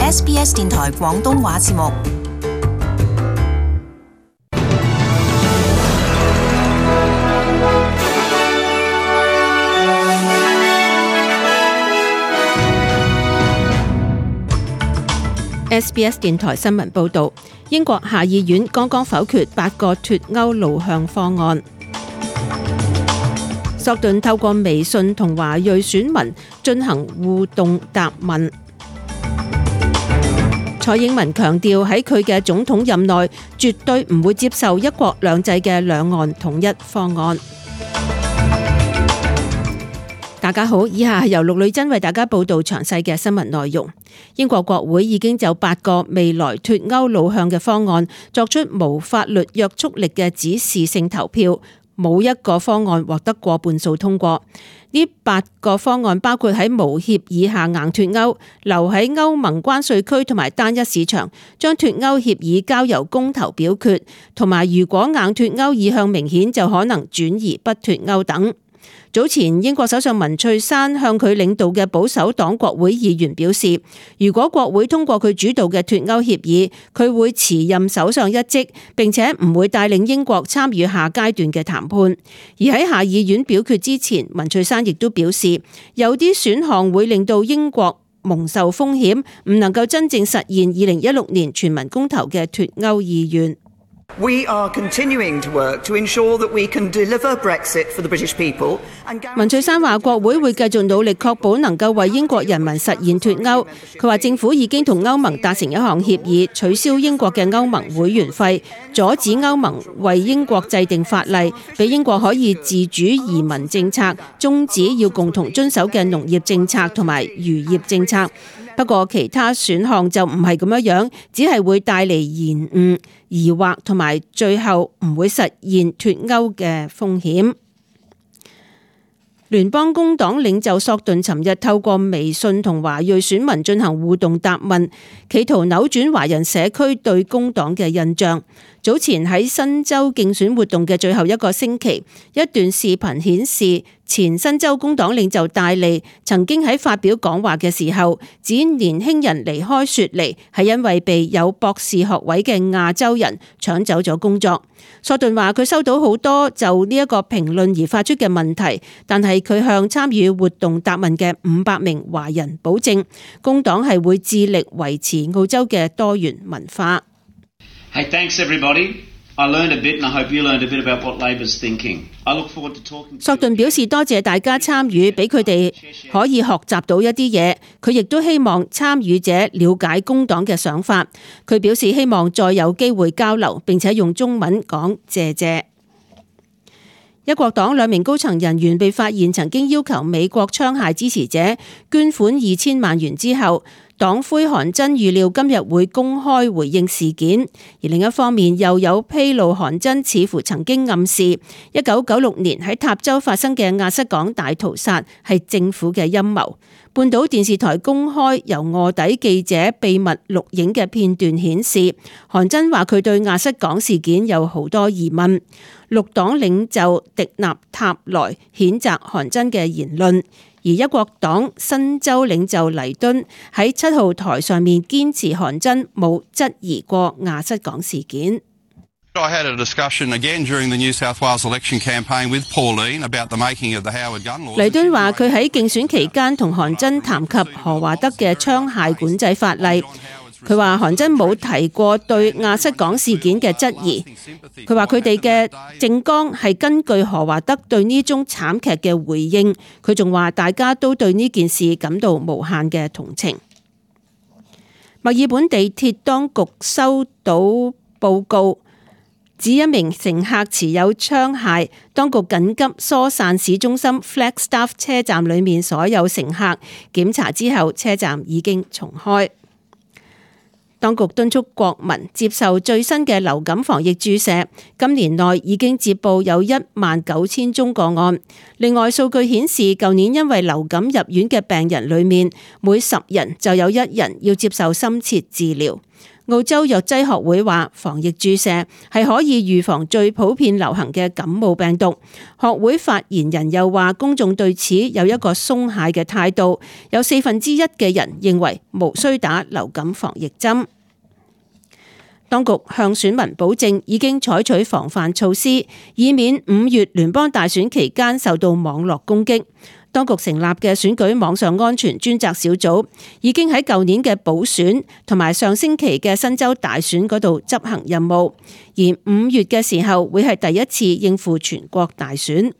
SBS 電台廣東話節目。SBS 電台新聞報導，英國下議院剛剛否決8個脫歐路向方案。索頓透過微信同華裔選民進行互動答問。蔡英文強調喺佢嘅總統任內，絕對唔會接受一國兩制嘅兩岸統一方案。大家好，以下係由陸女真為大家報道詳細嘅新聞內容。英國國會已經就8個未來脫歐路向嘅方案作出無法律約束力嘅指示性投票，冇一個方案獲得過半數通過。呢8個方案包括喺無協議下硬脫歐、留喺歐盟關稅區同埋單一市場、將脫歐協議交由公投表決，同埋如果硬脫歐意向明顯就可能轉移不脫歐等。早前英國首相文翠珊向佢領導嘅保守黨國會議員表示，如果國會通過佢主導嘅脫歐協議，佢會辭任首相一職，並且唔會帶領英國參與下階段嘅談判。而喺下議院表決之前，文翠珊亦都表示，有啲選項會令到英國蒙受風險，唔能夠真正實現2016年全民公投嘅脫歐意願。We are continuing to work to ensure that we can deliver Brexit for the British people. 文翠珊話：國會會繼續努力確保能夠為英國人民實現脫歐。佢話政府已經同歐盟達成一項協議，取消英國嘅歐盟會員費，阻止歐盟為英國制定法例，俾英國可以自主移民政策，終止要共同遵守嘅農業政策同埋漁業政策。不過其他選項就唔係咁樣，只係會帶嚟延誤、疑惑同埋最後唔會實現脫歐嘅風險。聯邦工黨領袖索頓尋日透過微信同華裔選民進行互動答問，企圖扭轉華人社區對工黨嘅印象。早前喺新州競選活動嘅最後一個星期，一段視頻顯示前新州工黨領袖戴利曾經喺發表講話嘅時候，指年輕人離開雪梨係因為被有博士學位嘅亞洲人搶走咗工作。索頓話佢收到好多就呢一個評論而發出嘅問題，但係佢向參與活動答問嘅500名華人保證，工黨係會致力維持澳洲嘅多元文化。Hey, thanks everybody. I learned a bit and I hope you learned a bit about what Labor's thinking. I look forward to talking. 索頓表示多謝大家參與，俾佢哋可以學習到一啲嘢。佢亦都希望參與者了解工黨嘅想法。佢表示希望再有機會交流，並且用中文講謝謝。一國黨2名高層人員被發現曾經要求美國槍械支持者捐款2000萬元之後，黨魁韓真預料今日會公開回應事件，而另一方面又有披露韓真似乎曾經暗示1996年喺塔州發生嘅亞瑟港大屠殺係政府嘅陰謀。半島電視台公開由臥底記者秘密錄影嘅片段顯示，韓真話佢對亞瑟港事件有好多疑問。綠黨領袖迪納塔萊譴責韓真嘅言論。而一國黨新州領袖黎敦喺7號台上面堅持韓真冇質疑過亞瑟港事件。I had a discussion again during the New South Wales election campaign with Pauline about the making of the Howard gun laws. 黎敦話佢喺競選期間同韓真談及何華德嘅槍械管制法例。佢話韓真冇提過對亞瑟港事件嘅質疑。佢話佢哋嘅政綱係根據何華德對呢宗慘劇嘅回應。佢仲話大家都對呢件事感到無限嘅同情。墨爾本地鐵當局收到報告，指一名乘客持有槍械，當局緊急疏散市中心 Flagstaff 車站裏面所有乘客，檢查之後車站已經重開。當局敦促國民接受最新嘅流感防疫注射，今年內已經接報有19000宗個案。另外數據顯示，舊年因為流感入院嘅病人裏面，每10人就有1人要接受深切治療。澳洲藥劑學會話，防疫注射係可以預防最普遍流行嘅感冒病毒。學會發言人又話，公眾對此有一個鬆懈嘅態度，有1/4嘅人認為無需打流感防疫針。當局向選民保證已經採取防範措施，以免5月聯邦大選期間受到網絡攻擊。當局成立嘅選舉網上安全專責小組已經喺舊年嘅補選同埋上星期嘅新州大選嗰度執行任務，而5月嘅時候會係第一次應付全國大選。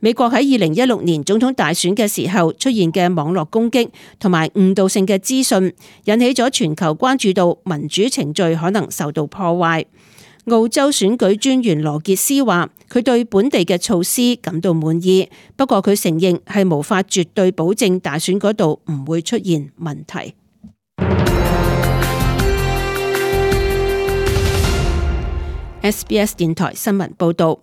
美國喺2016年總統大選嘅時候出現嘅網絡攻擊同埋誤導性嘅資訊，引起咗全球關注到民主程序可能受到破壞。澳洲選舉專員羅傑斯話，佢對本地嘅措施感到滿意，不過佢承認係無法絕對保證大選嗰度唔會出現問題。SBS 電台新聞報道。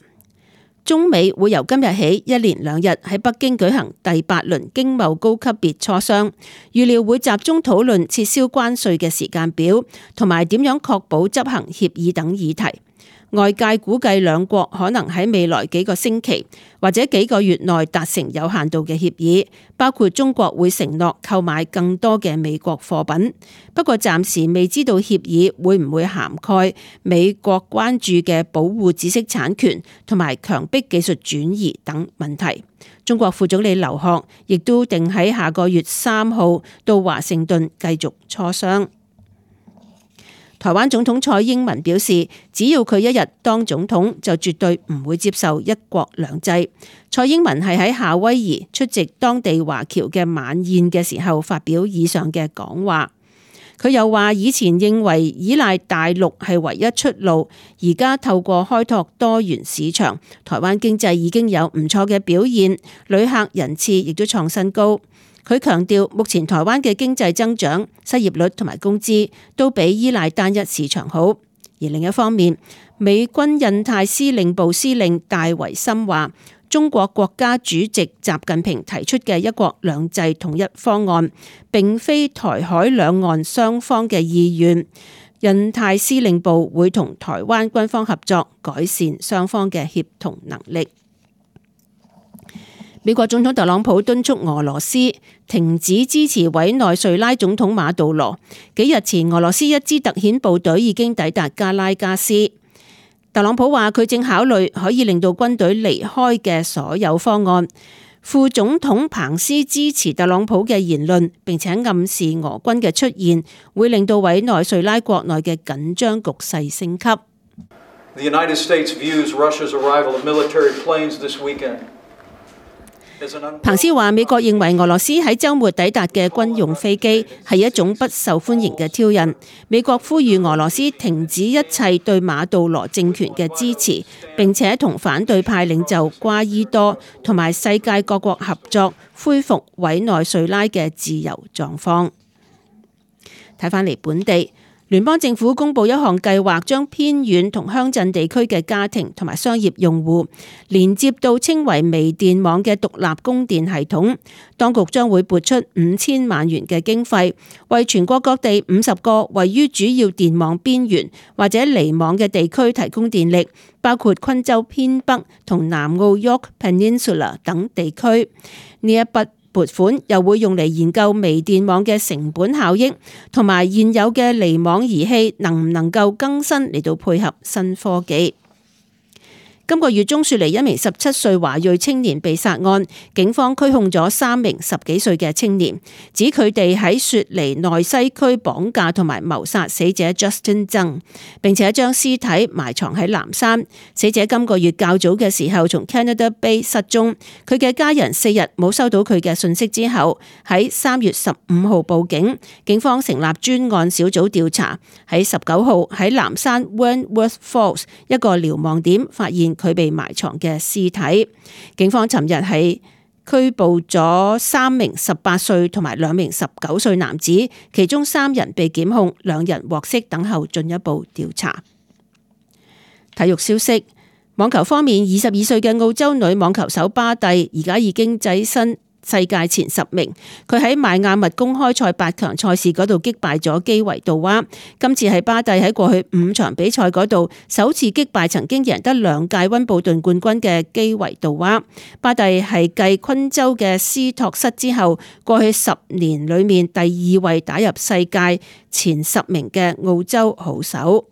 中美會由今日起1連2日喺北京舉行第8輪經貿高級別磋商，預料會集中討論撤銷關稅嘅時間表，同埋點樣確保執行協議等議題。外界估計兩國可能喺未來幾個星期或者幾個月內達成有限度嘅協議，包括中國會承諾購買更多嘅美國貨品。不過暫時未知道協議會唔會涵蓋美國關注嘅保護知識產權同埋強迫技術轉移等問題。中國副總理劉鶴亦都定喺下個月3號到華盛頓繼續磋商。台灣總統蔡英文表示，只要佢一日當總統，就絕對唔會接受一國兩制。蔡英文係喺夏威夷出席當地華僑嘅晚宴嘅時候發表以上嘅講話。佢又話，以前認為依賴大陸係唯一出路，而家透過開拓多元市場，台灣經濟已經有唔錯嘅表現，旅客人次亦都創新高。佢強調，目前台灣嘅經濟增長、失業率同埋工資都比依賴單一市場好。而另一方面，美軍印太司令部司令戴維森話，中國國家主席習近平提出嘅一國兩制統一方案，並非台海兩岸雙方嘅意願。印太司令部會同台灣軍方合作，改善雙方嘅協同能力。美國總統特朗普敦促俄羅斯停止支持委內瑞拉總統馬杜羅。幾日前，俄羅斯一支特遣部隊已經抵達加拉加斯。特朗普話佢正考慮可以令到軍隊離開嘅所有方案。副總統彭斯支持特朗普嘅言論，並且暗示俄軍嘅出現會令到委內瑞拉國內嘅緊張局勢升級。The United States views Russia's arrival of military planes this weekend. 彭斯話，美國認為俄羅斯喺週末抵達嘅軍用飛機係一種不受歡迎嘅挑釁。美國呼籲俄羅斯停止一切對馬杜羅政權嘅支持，並且同反對派領袖瓜伊多同埋世界各國合作，恢復委內瑞拉嘅自由狀況。睇返嚟本地。聯邦政府公布一項計劃，將偏遠同鄉鎮地區嘅家庭同埋商業用戶連接到稱為微電網嘅獨立供電系統。當局將會撥出5000萬元嘅經費，為全國各地50個位於主要電網邊緣或者離網嘅地區提供電力，包括昆州偏北同南澳 York Peninsula 等地區。呢一筆撥款又會用嚟研究微電網嘅成本效益，同埋現有嘅離網儀器能唔能夠更新嚟到配合新科技。今個月中，雪梨一名17歲華裔青年被殺案，警方拘控咗3名10幾歲嘅青年，指佢哋喺雪梨內西區綁架同埋謀殺死者 Justin Zhang， 並且將屍體埋藏喺南山。死者今個月較早嘅時候從 Canada Bay 失蹤，佢嘅家人4日冇收到佢嘅訊息之後，喺3月15號報警，警方成立專案小組調查，喺19號喺南山 Wentworth Falls 一個瞭望點發現佢被埋藏嘅屍體。警方尋日係拘捕咗3名18歲同埋2名19歲男子，其中3人被檢控，2人獲釋等候進一步調查。體育消息，網球方面，22歲嘅澳洲女網球手巴蒂而家已經躋身世界前10名。佢喺邁亞密公開賽8強賽事嗰度擊敗咗基維杜娃。今次係巴蒂喺過去5場比賽嗰度首次擊敗曾經贏得2屆溫布頓冠軍嘅基維杜娃。巴蒂係繼昆州嘅斯托瑟之後，過去10年裏面第2位打入世界前10名嘅澳洲好手。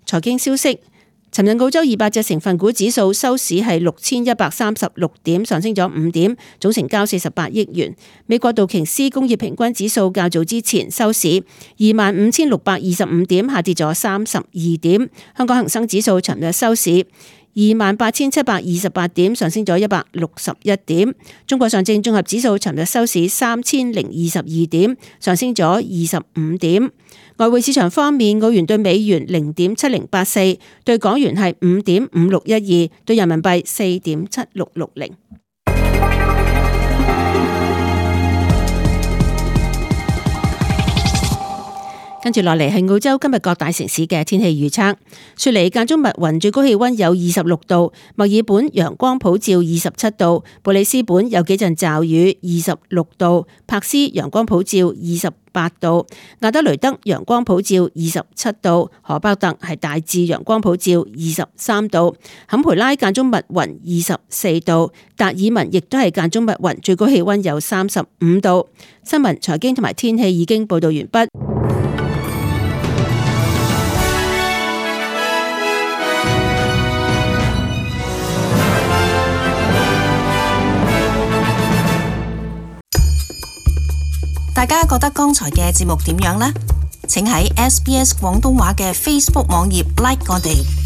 財經消息。尋日澳洲200隻成分股指數收市係6136點，上升咗5點，總成交48億元。美國道瓊斯工業平均指數較早之前收市25,625點，下跌咗32點。香港恒生指數尋日收市28,728點，上升咗161點。中國上證綜合指數尋日收市3022點，上升咗25點。外匯市場方面，澳元對美元0.7084，對港元係5.5612，對人民幣4.7660。跟住落嚟係澳洲今日各大城市嘅天氣預測。雪梨間中密雲，最高氣溫有26度；墨爾本陽光普照27度；布里斯本有幾陣驟雨26度；柏斯陽光普照28度；亞德雷德陽光普照27度；荷伯特係大致陽光普照23度；坎培拉間中密雲24度；達爾文亦都係間中密雲，最高氣溫有35度。新聞、財經同埋天氣已經報道完畢。大家覺得剛才嘅節目點樣呢？請喺SBS 廣東話嘅 Facebook 網頁 like 我哋。